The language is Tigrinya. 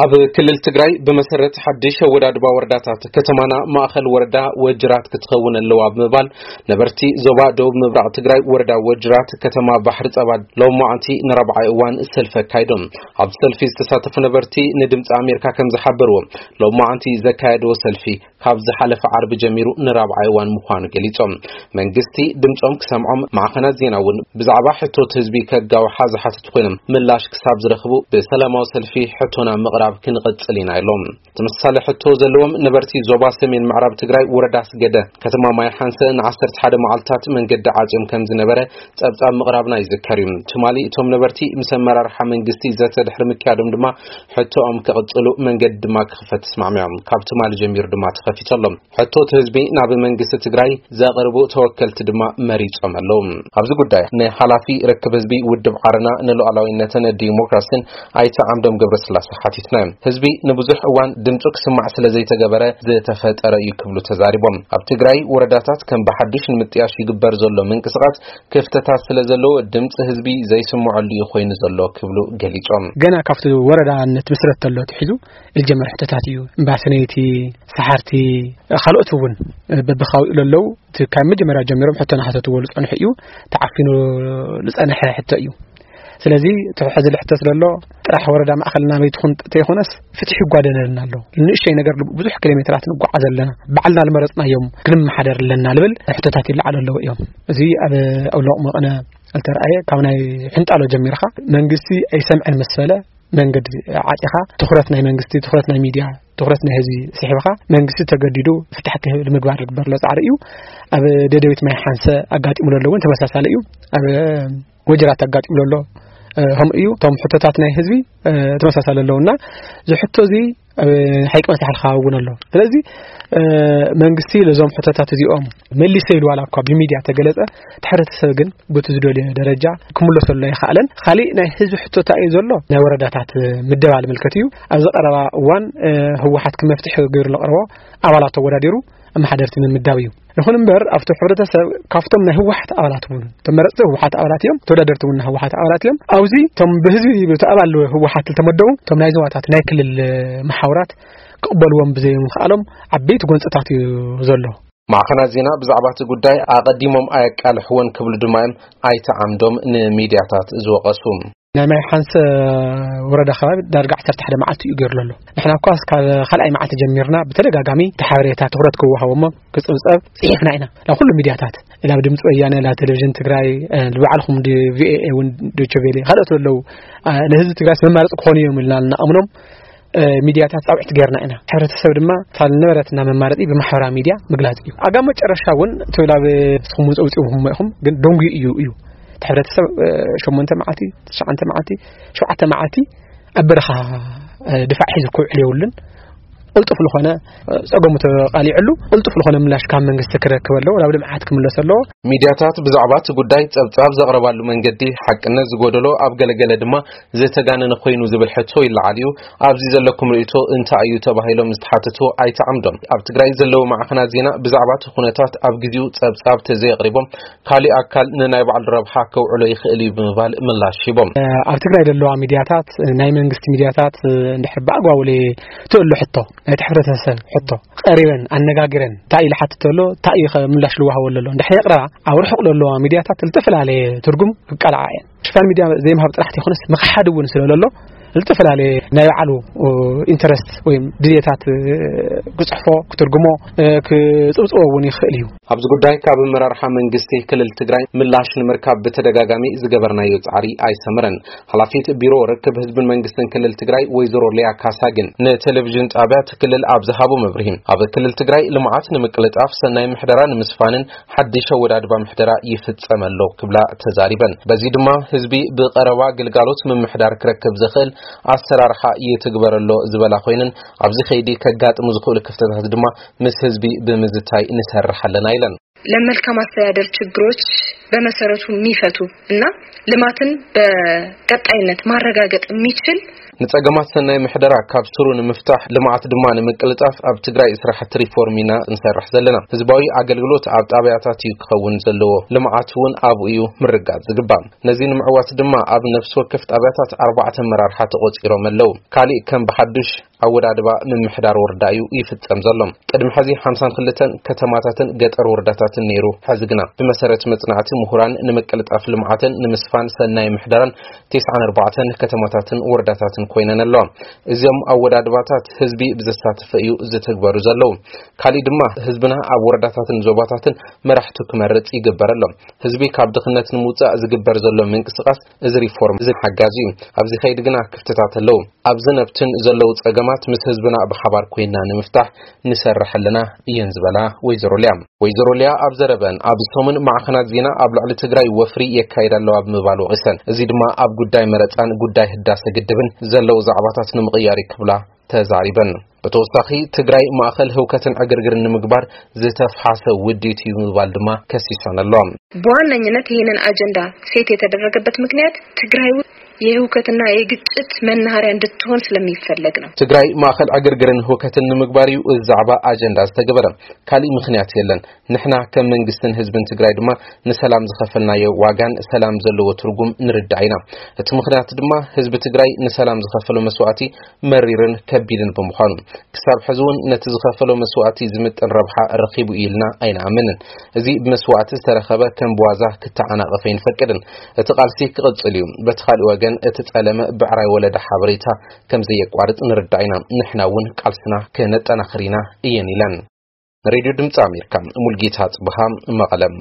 ኣብ ክልል ትግራይ ብመሰረት ሓድሽ ኣወዳድባ ወረዳታት፣ ከተማና ማእኸል ወረዳ ወጅራት ክትኸውን ኣለዋ ብምባል፣ ነበርቲ ዞባ ደቡብ ምብራቕ ትግራይ ወረዳ ወጅራት ከተማ ባሕሪ ጸባ ሎማዓንቲ ንራብዓይ እዋን ሰልፊ ኣካይዶም። ኣብ ሰልፊ ዝተሳተፉ ነበርቲ ንድምፂ ኣሜሪካ ከም ዝሓበርዎ፣ ሎማዓንቲ ዘካየድዎ ሰልፊ ካብ ዝሓለፈ ዓርቢ ጀሚሩ ንራብዓይ እዋን ምዃኑ ገሊጾም። መንግስቲ ድምጾም ክሰምዖም፣ ማዕኸናት ዜና እውን ብዛዕባ ሕቶት ህዝቢ ከጋውሓ ዝሓተቱ ኮይኖም፣ ምላሽ ክሳብ ዝረኽቡ ብሰላማዊ ሰልፊ ሕቶና ምቕራብ ክንቕጽል ኢና ኢሎም። ተመሳሳሊ ሕቶ ዘለዎም ነበርቲ ዞባ ሰሜን ምዕራብ ትግራይ ወረዳ ኣስገደ ከተማ ማይ ሓንሰ ን ዓሰርተ ሓደ መዓልታት መንገዲ ዓጽዮም ከም ዝነበረ ጸብጻብ ምቕራብና ይዝከር እዩ። ትማሊ እቶም ነበርቲ ምስ ኣመራርሓ መንግስቲ ዘተ ድሕሪ ምክያዶም ድማ ሕቶኦም ክቕጽሉ መንገዲ ድማ ክኽፈት ተስማዕሚዖም። ካብ ትማሊ ጀሚሩ ድማ ተኸፊቱ ኣሎ። ሕቶት ህዝቢ ናብ መንግስቲ ትግራይ ዘቕርቡ ተወከልቲ ድማ መሪጾም ኣለዉ። ኣብዚ ጉዳይ ንሓላፊ ርክብ ህዝቢ ውድብ ዓረና ንሉዓላዊነትን ዲሞክራሲን ኣይተ ዓምዶም ገብረስላሴ ሓቲትና። ህዝቢ ንብዙሕ እዋን ድምፁ ክስማዕ ስለ ዘይተገበረ ዝተፈጠረ እዩ ክብሉ ተዛሪቦም። ኣብ ትግራይ ወረዳታት ከም ብሓዱሽ ንምጥያሽ ይግበር ዘሎ ምንቅስቓስ ክፍተታት ስለ ዘለዎ ድምፂ ህዝቢ ዘይስምዐሉ እዩ ኮይኑ ዘሎ ክብሉ ገሊጾም። ገና ካብቲ ወረዳ ንትምስረት ተሎ ትሒዙ ዝጀመር ሕቶታት እዩ። እምባ ሰነይቲ፣ ሰሓርቲ፣ ካልኦት እውን በብኻዊኡ ለለዉ እቲ ካብ መጀመርያ ጀሚሮም ሕቶ ናሓተትዎ ዝጸንሑ እዩ። ተዓፊኑ ዝጸንሐ ሕቶ እዩ። ስለዚ እቲ ሕዚ ልሕቶ ስለሎ ጥራሕ ወረዳ ማእኸል ናበይ ትኹን ተይኮነስ ፍትሒ ይጓደለልና ኣሎ። ንእሽተይ ነገር ብዙሕ ኪሎ ሜትራት ንጓዓዝ ኣለና። ባዕልና ዝመረጽናዮም ክንመሓደር ኣለና ልብል ሕቶታት ይለዓሉ ኣለዉ እዮም። እዚ ኣብ ኣውሎቕ መቐነ ዝተረኣየ ካብ ናይ ሕንጣሎ ጀሚርካ መንግስቲ ኣይሰምዕን ምስ በለ መንገዲ ዓጢኻ ትኹረት ናይ መንግስቲ፣ ትኹረት ናይ ሚድያ፣ ትኹረት ናይ ህዝቢ ስሒብኻ መንግስቲ ተገዲዱ ፍታሕ ክህብ ንምግባር ዝግበር ዘሎ ጻዕሪ እዩ። ኣብ ደደቢት ማይ ሓንሰ ኣጋጢሙ ዘሎ እውን ተመሳሳሊ እዩ። ኣብ ወጀራት ኣጋጢሙ ዘሎ ከምኡ እዩ። እቶም ሕቶታት ናይ ህዝቢ ተመሳሳሊ ኣለውና ዝሕቶ እዚ ኣብ ሓይቂ መሳሕል ከባቢ እውን ኣሎ። ስለዚ መንግስቲ ለዞም ሕቶታት እዚኦም መሊሰ ኢሉ ዋላ እኳ ብሚድያ ተገለጸ፣ እቲ ሕብረተሰብ ግን በቲ ዝደልዮ ደረጃ ክምለሰሉ ኣይኸኣለን። ካሊእ ናይ ህዝቢ ሕቶታ እዩ ዘሎ ናይ ወረዳታት ምደባ ዝምልከት እዩ። ኣብዚ ቀረባ እዋን ህወሓት ክመፍትሒ ገይሩ ለቕረቦ ኣባላት ተወዳዲሩ ኣመሓደርቲ ንምምዳብ እዩ። ይኹን እምበር ኣብቲ ሕብረተሰብ ካብቶም ናይ ህወሓት ኣባላት እውን ተመረፅቲ ህወሓት ኣባላት እዮም፣ ተወዳደርቲ እውን ናይ ህወሓት ኣባላት እዮም። ኣብዚ እቶም ብህዝቢ ብቲ ኣባል ህወሓት ዝተመደቡ እቶም ናይ ዞባታት ናይ ክልል መሓውራት ክቕበልዎም ብዘይምኽኣሎም ዓበይቲ ጎንፅታት እዩ ዘሎ። ማዕኸናት ዜና ብዛዕባ እቲ ጉዳይ ኣቐዲሞም ኣየቃልሕዎን ክብሉ ድማ እዮም ኣይተ ዓምዶም ንሚድያታት ዝወቐሱ። ናይ ማይ ሓንሰ ወረዳ ከባቢ ዳርጋ ዓሰርተ ሓደ መዓልቲ እዩ ገይሩ ዘሎ። ንሕና እኳ እስካብ ካልኣይ መዓልቲ ጀሚርና ብተደጋጋሚ እቲ ሓበሬታ ትኹረት ክወሃቦ እሞ ክጽብጸብ ጽሒፍና ኢና ናብ ኩሉ ሚድያታት፣ ናብ ድምፂ ወያነ፣ ናብ ቴሌቪዥን ትግራይ፣ ንባዕልኹም ቪኦኤ እውን፣ ዶቸ ቬሌ፣ ካልኦት ዘለዉ ንህዝቢ ትግራይ መማረፂ ክኾኑ እዮም ኢልና እናኣምኖም ሚድያታት ጻውዒት ጌርና ኢና። ሕብረተሰብ ድማ እታ ዝነበረትና መማረፂ ብማሕበራዊ ሚድያ ምግላፅ እዩ። ኣብ መጨረሻ እውን እቲ ናብ ንስኹም እውን ፀውፂኹም ኢኹም፣ ግን ደንጉዩ እዩ እዩ እቲ ሕብረተሰብ ሸሞንተ መዓልቲ፣ ትሽዓተ መዓልቲ፣ ሸውዓተ መዓልቲ ኣብ በረኻ ድፋዕ ሒዙ ክውዕል የብሉን። ቅልጡፍ ዝኾነ ፀገሙ ተቃሊዕሉ ቅልጡፍ ዝኾነ ምላሽ ካብ መንግስቲ ክረክብ ኣለዎ፣ ናብ ልምዓት ክምለስ ኣለዎ። ሚድያታት ብዛዕባ እቲ ጉዳይ ጸብጻብ ዘቕረባሉ መንገዲ ሓቅነት ዝጎደሎ፣ ኣብ ገለገለ ድማ ዝተጋነነ ኮይኑ ዝብል ሕቶ ይለዓል እዩ። ኣብዚ ዘለኩም ርእይቶ እንታይ እዩ ተባሂሎም ዝተሓተቱ ኣይተ ዓምዶም፣ ኣብ ትግራይ ዘለዉ ማዕኸናት ዜና ብዛዕባ እቲ ኩነታት ኣብ ግዜኡ ጸብጻብ ተዘየቕሪቦም ካሊእ ኣካል ንናይ ባዕሉ ረብሓ ከውዕሎ ይኽእል እዩ ብምባል ምላሽ ሂቦም። ኣብ ትግራይ ዘለዋ ሚድያታት፣ ናይ መንግስቲ ሚድያታት እንድሕር ብኣግባቡ ትእሉ ሕቶ ናይቲ ሕብረተሰብ ሕቶ ቀሪበን ኣነጋግረን እንታይ ኢሉ ሓትት ኣሎ፣ እንታይ እዩ ምላሽ ልዋሃቦ ኣሎ። እንድሕር የቕረባ ኣብ ርሑቕ ዘለዋ ሚድያታት ዝተፈላለየ ትርጉም ክቃልዓ እየን። ሽፋን ሚድያ ዘይምሃብ ጥራሕ ተይኮነስ ምኽሓድ እውን ስለ ዘሎ ዝተፈላለየ ናይ ባዕሉ ኢንተረስት ወይ ድልየታት ክፅሕፎ፣ ክትርጉሞ፣ ክፅብፅቦ እውን ይኽእል እዩ። ኣብዚ ጉዳይ ካብ ኣመራርሓ መንግስቲ ክልል ትግራይ ምላሽ ንምርካብ ብተደጋጋሚ ዝገበርናዮ ጻዕሪ ኣይሰመረን። ሓላፊት ቢሮ ርክብ ህዝብን መንግስትን ክልል ትግራይ ወይዘሮ ሊያ ካሳ ግን ንቴሌቪዥን ጣብያ እቲ ክልል ኣብ ዝሃቦ መብርሂ፣ ኣብ ክልል ትግራይ ልምዓት ንምቅልጣፍ፣ ሰናይ ምሕደራ ንምስፋንን ሓድሽ ኣወዳድባ ምሕደራ ይፍጸም ኣሎ ክብላ ተዛሪበን። በዚ ድማ ህዝቢ ብቐረባ ግልጋሎት ምምሕዳር ክረክብ ዝኽእል ኣሰራርሓ ይትግበር ኣሎ ዝበላ ኮይነን፣ ኣብዚ ከይዲ ከጋጥሙ ዝኽእሉ ክፍተታት ድማ ምስ ህዝቢ ብምዝታይ ንሰርሕ ኣለና ኢለን። ለመልካም አስተዳደር ችግሮች በመሰረቱ የሚፈቱ እና ልማትን በቀጣይነት ማረጋገጥ የሚችል ንጸገማት ሰናይ ምሕደራ ካብ ስሩ ንምፍታሕ፣ ልምዓት ድማ ንምቅልጣፍ ኣብ ትግራይ ስራሕቲ ሪፎርም ኢና እንሰርሕ ዘለና። ህዝባዊ ኣገልግሎት ኣብ ጣብያታት እዩ ክኸውን ዘለዎ። ልምዓት እውን ኣብኡ እዩ ምርጋጽ ዝግባእ። ነዚ ንምዕዋት ድማ ኣብ ነፍሲ ወከፍ ጣብያታት ኣርባዕተ መራርሓ ተቖጺሮም ኣለዉ። ካሊእ ከም ብሓዱሽ ኣወዳድባ ምምሕዳር ወረዳ እዩ ይፍጸም ዘሎ። ቅድሚ ሕዚ ሓምሳን ክልተን ከተማታትን ገጠር ወረዳታትን ነይሩ። ሕዚ ግና ብመሰረት መጽናዕቲ ምሁራን ንምቅልጣፍ ልምዓትን ንምስፋን ሰናይ ምሕደራን ተስዓን ኣርባዕተን ከተማታትን ወረዳታትን ኮይነን ኣለዋ። እዚኦም ኣወዳድባታት ህዝቢ ብዘሳተፈ እዩ ዝትግበሩ ዘለዉ። ካሊእ ድማ ህዝብና ኣብ ወረዳታትን ዞባታትን መራሕቱ ክመርጽ ይግበር ኣሎ። ህዝቢ ካብ ድኽነት ንምውጻእ ዝግበር ዘሎ ምንቅስቃስ እዚ ሪፎርም እዚ ሓጋዚ እዩ። ኣብዚ ከይድ ግና ክፍተታት ኣለዉ። ኣብዚ ነብትን ዘለዉ ጸገማት ምስ ህዝብና ብሓባር ኮይና ንምፍታሕ ንሰርሕ ኣለና እየን ዝበላ ወይዘሮ ሊያ። ወይዘሮ ሊያ ኣብ ዘረበን ኣብ ሰሙን ማዕኸናት ዜና ኣብ ልዕሊ ትግራይ ወፍሪ የካይድ ኣለዋ ብምባል ወቒሰን። እዚ ድማ ኣብ ጉዳይ መረጻን ጉዳይ ህዳሰ ግድብን ዘለዉ ዛዕባታት ንምቕያር እዩ ክብላ ተዛሪበን። ብተወሳኺ ትግራይ ማእኸል ህውከትን ዕግርግርን ንምግባር ዝተፍሓሰ ውዲት እዩ ብምባል ድማ ከሲሰን ኣሎ። በዋነኝነት ይህንን አጀንዳ ሴት የተደረገበት ምክንያት ትግራይ የህውከትና የግጭት መናኸሪያ እንድትሆን ስለሚፈለግ ነው። ትግራይ ማእኸል ዕግርግርን ህውከትን ንምግባር እዩ እዚ ዛዕባ ኣጀንዳ ዝተገበረ። ካሊእ ምክንያት የለን። ንሕና ከም መንግስትን ህዝብን ትግራይ ድማ ንሰላም ዝኸፈልናዮ ዋጋን ሰላም ዘለዎ ትርጉም ንርዳእ ኢና። እቲ ምክንያት ድማ ህዝቢ ትግራይ ንሰላም ዝኸፈሎ መስዋእቲ መሪርን ከቢድን ብምዃኑ፣ ክሳብ ሕዚ እውን ነቲ ዝኸፈሎ መስዋእቲ ዝምጥን ረብሓ ረኺቡ እዩ ኢልና ኣይንኣምንን። እዚ ብመስዋእቲ ዝተረኸበ ከም ብዋዛ ክተዓናቐፍ ኣይንፈቅድን። እቲ ቃልሲ ክቕጽል እዩ። በቲ ካሊእ ወገን እቲ ጸለመ ብዕራይ ወለደ ሓበሬታ ከም ዘየቋርጽ ንርዳእ ኢና። ንሕና እውን ቃልስና ከነጠናኽር ኢና እየን ኢለን። ንሬድዮ ድምፂ ኣሜሪካ ሙልጌታ ጽብሃ መቐለም።